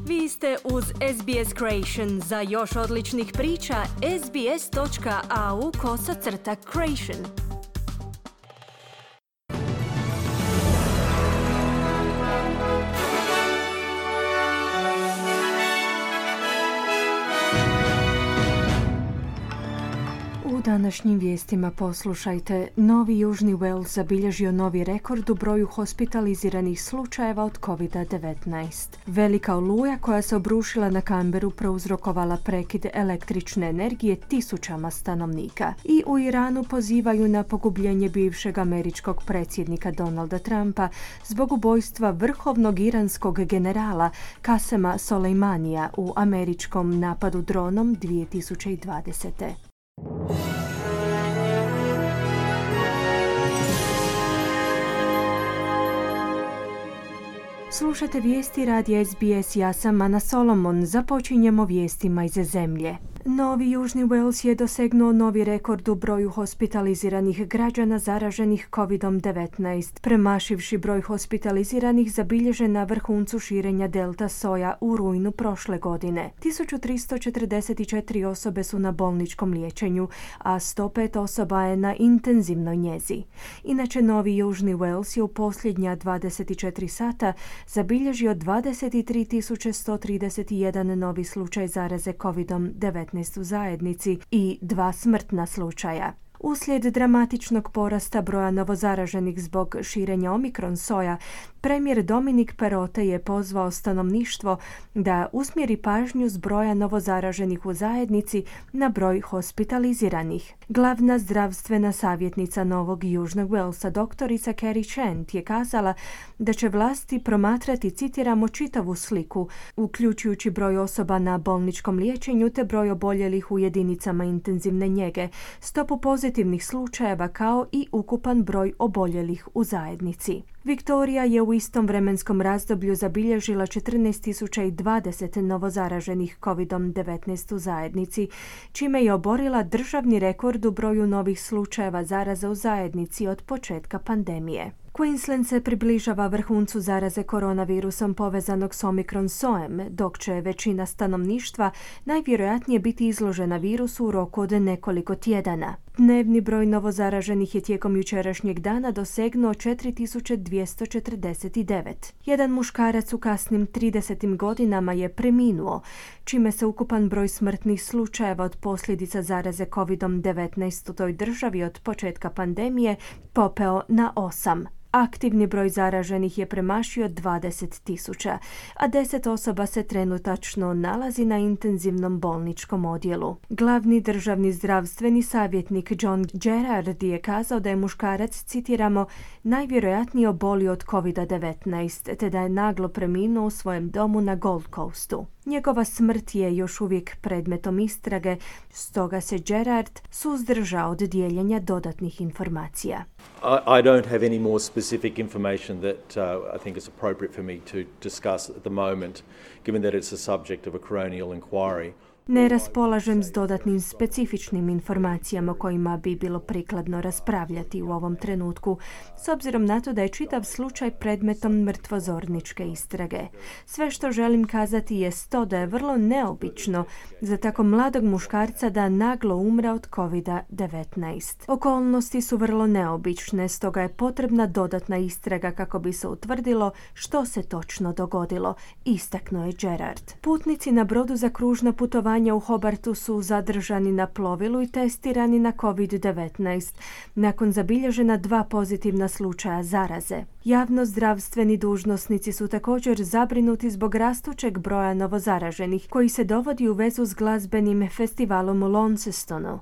Vi ste uz SBS Creation. Za još odličnih priča, sbs.au/creation. U današnjim vijestima poslušajte. Novi Južni Wales zabilježio novi rekord u broju hospitaliziranih slučajeva od COVID-19. Velika oluja koja se obrušila na Canberru prouzrokovala prekid električne energije tisućama stanovnika. I u Iranu pozivaju na pogubljenje bivšeg američkog predsjednika Donalda Trumpa zbog ubojstva vrhovnog iranskog generala Kasema Soleimanija u američkom napadu dronom 2020. Slušate vijesti radija SBS, ja sam Ana Solomon. Započinjemo vijestima iz zemlje. Novi Južni Wales je dosegnuo novi rekord u broju hospitaliziranih građana zaraženih COVID-19, premašivši broj hospitaliziranih zabilježen na vrhuncu širenja delta soja u rujnu prošle godine. 1344 osobe su na bolničkom liječenju, a 105 osoba je na intenzivnoj njezi. Inače, Novi Južni Wales je u posljednja 24 sata zabilježio 23.131 novi slučaj zaraze COVID-19 u zajednici i 2 smrtna slučaja. Uslijed dramatičnog porasta broja novozaraženih zbog širenja omikron soja, premijer Dominic Perrottet je pozvao stanovništvo da usmjeri pažnju s broja novozaraženih u zajednici na broj hospitaliziranih. Glavna zdravstvena savjetnica Novog Južnog Walesa, doktorica Kerry Chant, je kazala da će vlasti promatrati, citiramo, čitavu sliku, uključujući broj osoba na bolničkom liječenju te broj oboljelih u jedinicama intenzivne njege, stopu pozitivnih slučajeva kao i ukupan broj oboljelih u zajednici. Viktorija je u istom vremenskom razdoblju zabilježila 14.020 novozaraženih COVID-19 u zajednici, čime je oborila državni rekord u broju novih slučajeva zaraza u zajednici od početka pandemije. Queensland se približava vrhuncu zaraze koronavirusom povezanog s omikron sojem, dok će većina stanovništva najvjerojatnije biti izložena virusu u roku od nekoliko tjedana. Dnevni broj novozaraženih je tijekom jučerašnjeg dana dosegnuo 4.249. Jedan muškarac u kasnim 30. godinama je preminuo, čime se ukupan broj smrtnih slučajeva od posljedica zaraze COVID-19 u toj državi od početka pandemije popeo na 8. Aktivni broj zaraženih je premašio 20.000, a 10 osoba se trenutačno nalazi na intenzivnom bolničkom odjelu. Glavni državni zdravstveni savjetnik John Gerard je kazao da je muškarac, citiramo, najvjerojatnije obolio od COVID-19, te da je naglo preminuo u svojem domu na Gold Coastu. Njegova smrt je još uvijek predmetom istrage, stoga se Gerard suzdržao od dijeljenja dodatnih informacija. I don't have any more specific information that I think is appropriate for me to discuss at the moment, given that it's a subject of a coronial inquiry. Ne raspolažem s dodatnim specifičnim informacijama o kojima bi bilo prikladno raspravljati u ovom trenutku, s obzirom na to da je čitav slučaj predmetom mrtvozorničke istrage. Sve što želim kazati jest to da je vrlo neobično za tako mladog muškarca da naglo umre od COVID-19. Okolnosti su vrlo neobične, stoga je potrebna dodatna istraga kako bi se utvrdilo što se točno dogodilo, istaknuo je Gerard. Putnici na brodu za kružno putovanje u Hobartu su zadržani na plovilu i testirani na COVID-19 nakon zabilježena 2 pozitivna slučaja zaraze. Javnozdravstveni dužnosnici su također zabrinuti zbog rastućeg broja novozaraženih koji se dovodi u vezu s glazbenim festivalom u Launcestonu.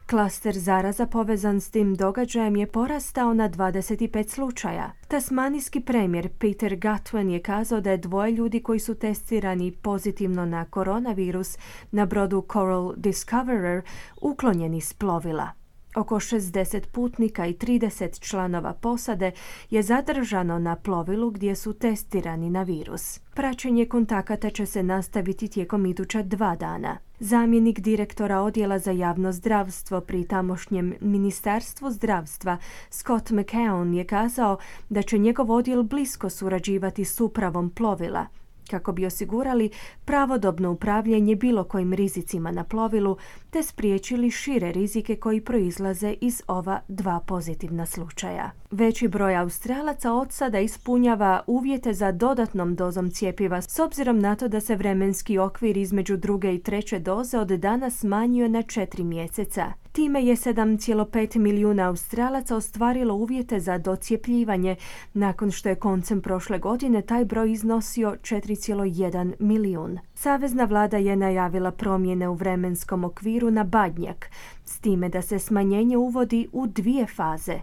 Klaster zaraza povezan s tim događajem je porastao na 25 slučaja. Tasmanijski premijer Peter Gutwein je kazao da je 2 ljudi koji su testirani pozitivno na koronavirus na brodu Coral Discoverer uklonjeni s plovila. Oko 60 putnika i 30 članova posade je zadržano na plovilu gdje su testirani na virus. Praćenje kontakata će se nastaviti tijekom iduća 2 dana. Zamjenik direktora odjela za javno zdravstvo pri tamošnjem Ministarstvu zdravstva Scott McKeown je kazao da će njegov odjel blisko surađivati s upravom plovila, kako bi osigurali pravodobno upravljanje bilo kojim rizicima na plovilu te spriječili šire rizike koji proizlaze iz ova dva pozitivna slučaja. Veći broj Australaca od sada ispunjava uvjete za dodatnom dozom cjepiva s obzirom na to da se vremenski okvir između druge i treće doze od danas smanjio na 4 mjeseca. Time je 7,5 milijuna Australaca ostvarilo uvjete za docjepljivanje, nakon što je koncem prošle godine taj broj iznosio 4,1 milijun. Savezna vlada je najavila promjene u vremenskom okviru na badnjak, s time da se smanjenje uvodi u 2 faze.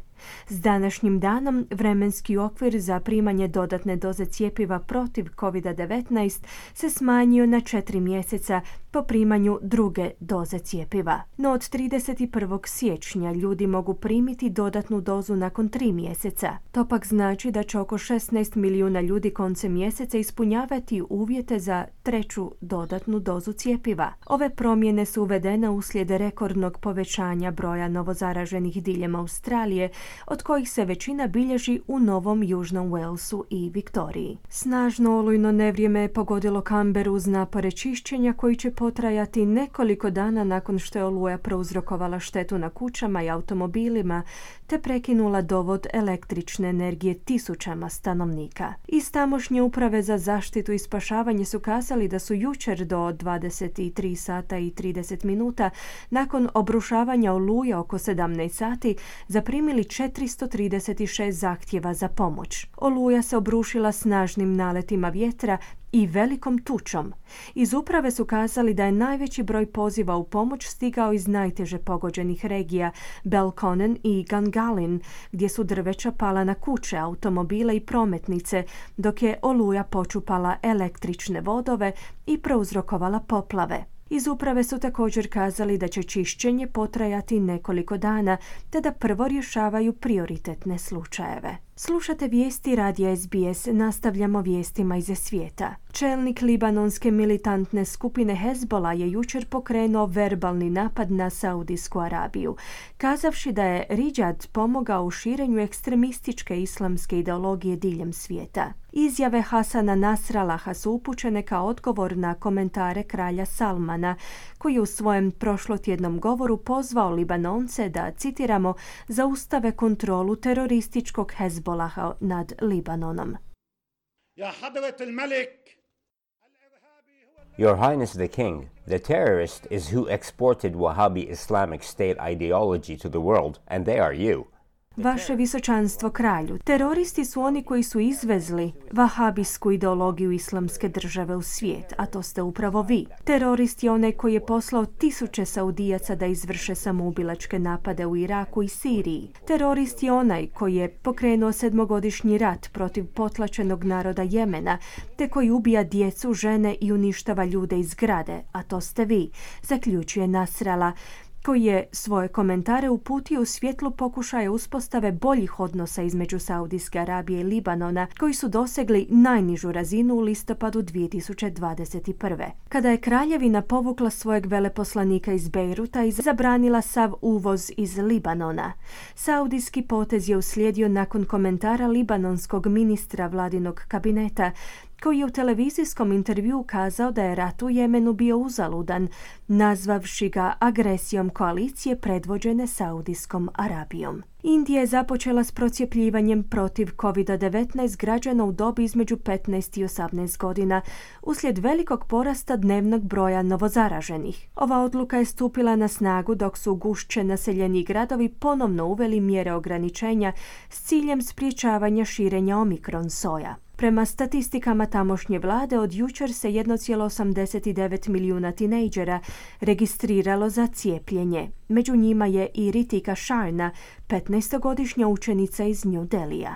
S današnjim danom vremenski okvir za primanje dodatne doze cjepiva protiv COVID-19 se smanjio na 4 mjeseca po primanju druge doze cjepiva. No od 31. siječnja ljudi mogu primiti dodatnu dozu nakon 3 mjeseca. To pak znači da će oko 16 milijuna ljudi koncem mjeseca ispunjavati uvjete za treću dodatnu dozu cjepiva. Ove promjene su uvedene uslijed rekordnog povećanja broja novozaraženih diljem Australije, od kojih se većina bilježi u Novom Južnom Walesu i Viktoriji. Snažno olujno nevrijeme je pogodilo Canberru uz napore čišćenja koji će potrajati nekoliko dana nakon što je oluja prouzrokovala štetu na kućama i automobilima te prekinula dovod električne energije tisućama stanovnika. Iz tamošnje uprave za zaštitu i spašavanje su kazali da su jučer do 23 sata i 30 minuta nakon obrušavanja oluje oko 17 sati zaprimili 436 zahtjeva za pomoć. Oluja se obrušila snažnim naletima vjetra i velikom tučom. Iz uprave su kazali da je najveći broj poziva u pomoć stigao iz najteže pogođenih regija Belconnen i Gungahlin, gdje su drveća pala na kuće, automobile i prometnice, dok je oluja počupala električne vodove i prouzrokovala poplave. Iz uprave su također kazali da će čišćenje potrajati nekoliko dana, te da prvo rješavaju prioritetne slučajeve. Slušate vijesti radija SBS, nastavljamo vijestima iz svijeta. Čelnik libanonske militantne skupine Hezbollah je jučer pokrenuo verbalni napad na Saudijsku Arabiju, kazavši da je Ridžad pomogao u širenju ekstremističke islamske ideologije diljem svijeta. Izjave Hasana Nasralaha su upućene kao odgovor na komentare kralja Salmana, koji je u svojem prošlotjednom govoru pozvao Libanonce da, citiramo, zaustave kontrolu terorističkog Hezbollaha nad Libanonom. Your Highness the King, the terrorist is who exported Wahhabi Islamic State ideology to the world, and they are you. Vaše visočanstvo kralju, teroristi su oni koji su izvezli vahabijsku ideologiju islamske države u svijet, a to ste upravo vi. Terorist je onaj koji je poslao tisuće Saudijaca da izvrše samoubilačke napade u Iraku i Siriji. Terorist je onaj koji je pokrenuo 7-godišnji rat protiv potlačenog naroda Jemena, te koji ubija djecu, žene i uništava ljude iz zgrade, a to ste vi, zaključuje Nasrallah, koji je svoje komentare uputio u svjetlu pokušaja uspostave boljih odnosa između Saudijske Arabije i Libanona, koji su dosegli najnižu razinu u listopadu 2021. Kada je kraljevina povukla svojeg veleposlanika iz Bejruta i zabranila sav uvoz iz Libanona. Saudijski potez je uslijedio nakon komentara libanonskog ministra vladinog kabineta, koji je u televizijskom intervjuu kazao da je rat u Jemenu bio uzaludan, nazvavši ga agresijom koalicije predvođene Saudijskom Arabijom. Indija je započela s procijepljivanjem protiv COVID-19 građana u dobi između 15 i 18 godina uslijed velikog porasta dnevnog broja novozaraženih. Ova odluka je stupila na snagu dok su gušće naseljeni gradovi ponovno uveli mjere ograničenja s ciljem sprječavanja širenja omikron soja. Prema statistikama tamošnje vlade, od jučer se 1,89 milijuna tinejdžera registriralo za cijepljenje. Među njima je i Ritika Sharna, 15-godišnja učenica iz New Delhija.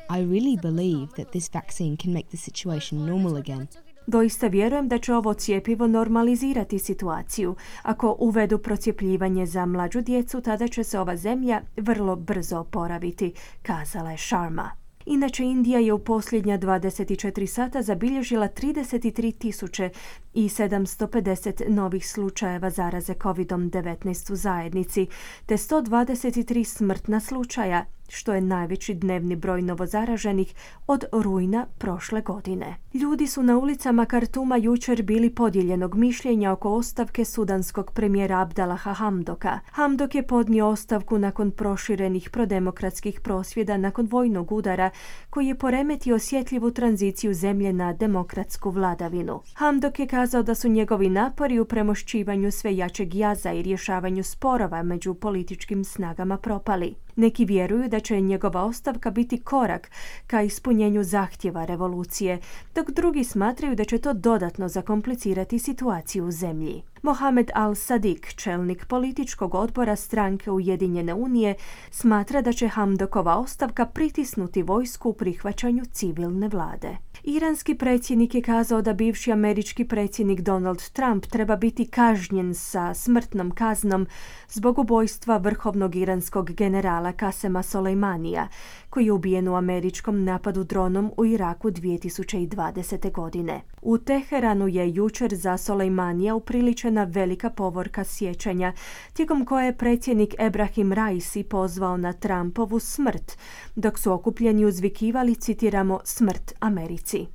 I really believe that this vaccine can make the situation normal again. Doista vjerujem da će ovo cjepivo normalizirati situaciju. Ako uvedu procjepljivanje za mlađu djecu, tada će se ova zemlja vrlo brzo oporaviti, kazala je Sharma. Inače, Indija je u posljednja 24 sata zabilježila 33.750 novih slučajeva zaraze COVID-19 u zajednici, te 123 smrtna slučaja što je najveći dnevni broj novozaraženih od rujna prošle godine. Ljudi su na ulicama Kartuma jučer bili podijeljenog mišljenja oko ostavke sudanskog premijera Abdallaha Hamdoka. Hamdok je podnio ostavku nakon proširenih prodemokratskih prosvjeda nakon vojnog udara koji je poremetio osjetljivu tranziciju zemlje na demokratsku vladavinu. Hamdok je kazao da su njegovi napori u premošćivanju sve jačeg jaza i rješavanju sporova među političkim snagama propali. Neki vjeruju da će njegova ostavka biti korak ka ispunjenju zahtjeva revolucije, dok drugi smatraju da će to dodatno zakomplicirati situaciju u zemlji. Mohamed Al-Sadiq, čelnik političkog odbora stranke Ujedinjene unije, smatra da će Hamdokova ostavka pritisnuti vojsku u prihvaćanju civilne vlade. Iranski predsjednik je kazao da bivši američki predsjednik Donald Trump treba biti kažnjen sa smrtnom kaznom zbog ubojstva vrhovnog iranskog generala Kasema Soleimanija, koji je ubijen u američkom napadu dronom u Iraku 2020. godine. U Teheranu je jučer za Soleimanija upriličena velika povorka sjećanja, tijekom koje je predsjednik Ebrahim Raisi pozvao na Trumpovu smrt, dok su okupljeni uzvikivali, citiramo, smrt Americi.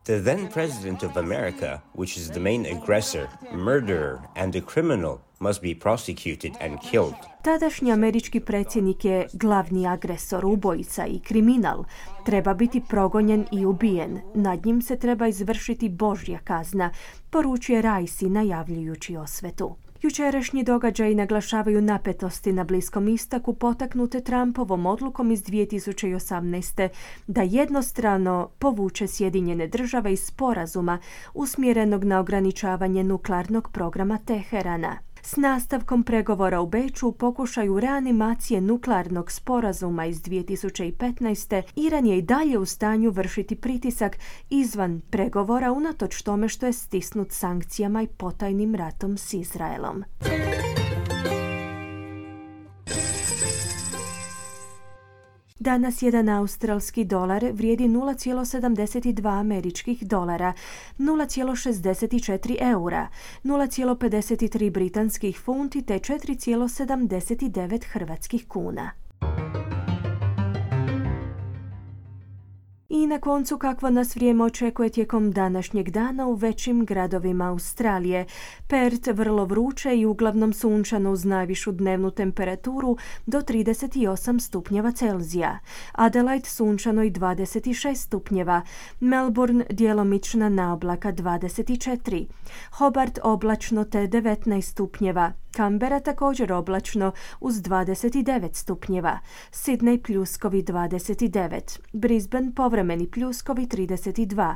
The then President of America, which is the main aggressor, murderer and a criminal, must be prosecuted and killed. Tadašnji američki predsjednik je glavni agresor, ubojica i kriminal. Treba biti progonjen i ubijen. Nad njim se treba izvršiti Božja kazna, poručuje Raisi najavljujući osvetu. Jučerašnji događaji naglašavaju napetosti na Bliskom istoku potaknute Trumpovom odlukom iz 2018. da jednostrano povuče Sjedinjene Države iz sporazuma usmjerenog na ograničavanje nuklearnog programa Teherana. S nastavkom pregovora u Beču u pokušaju reanimacije nuklearnog sporazuma iz 2015. Iran je i dalje u stanju vršiti pritisak izvan pregovora unatoč tome što je stisnut sankcijama i potajnim ratom s Izraelom. Danas jedan australski dolar vrijedi 0,72 američkih dolara, 0,64 eura, 0,53 britanskih funti te 4,79 hrvatskih kuna. I na koncu kakvo nas vrijeme očekuje tijekom današnjeg dana u većim gradovima Australije. Perth vrlo vruće i uglavnom sunčano uz najvišu dnevnu temperaturu do 38 stupnjeva Celzija. Adelaide sunčano i 26 stupnjeva. Melbourne djelomična naoblaka 24. Hobart oblačno te 19 stupnjeva. Canberra također oblačno uz 29 stupnjeva. Sydney pljuskovi 29. Brisbane povremeni pljuskovi 32.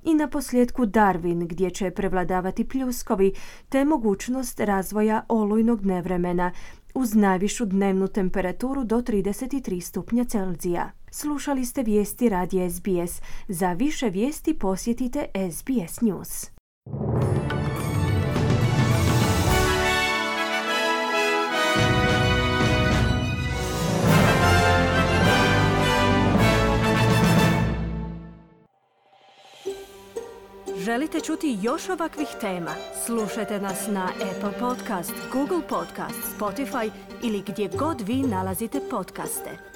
I na posljedku Darwin gdje će prevladavati pljuskovi te mogućnost razvoja olujnog nevremena uz najvišu dnevnu temperaturu do 33 stupnja Celzija. Slušali ste vijesti radija SBS. Za više vijesti posjetite SBS News. Želite čuti još ovakvih tema? Slušajte nas na Apple Podcast, Google Podcast, Spotify ili gdje god vi nalazite podcaste.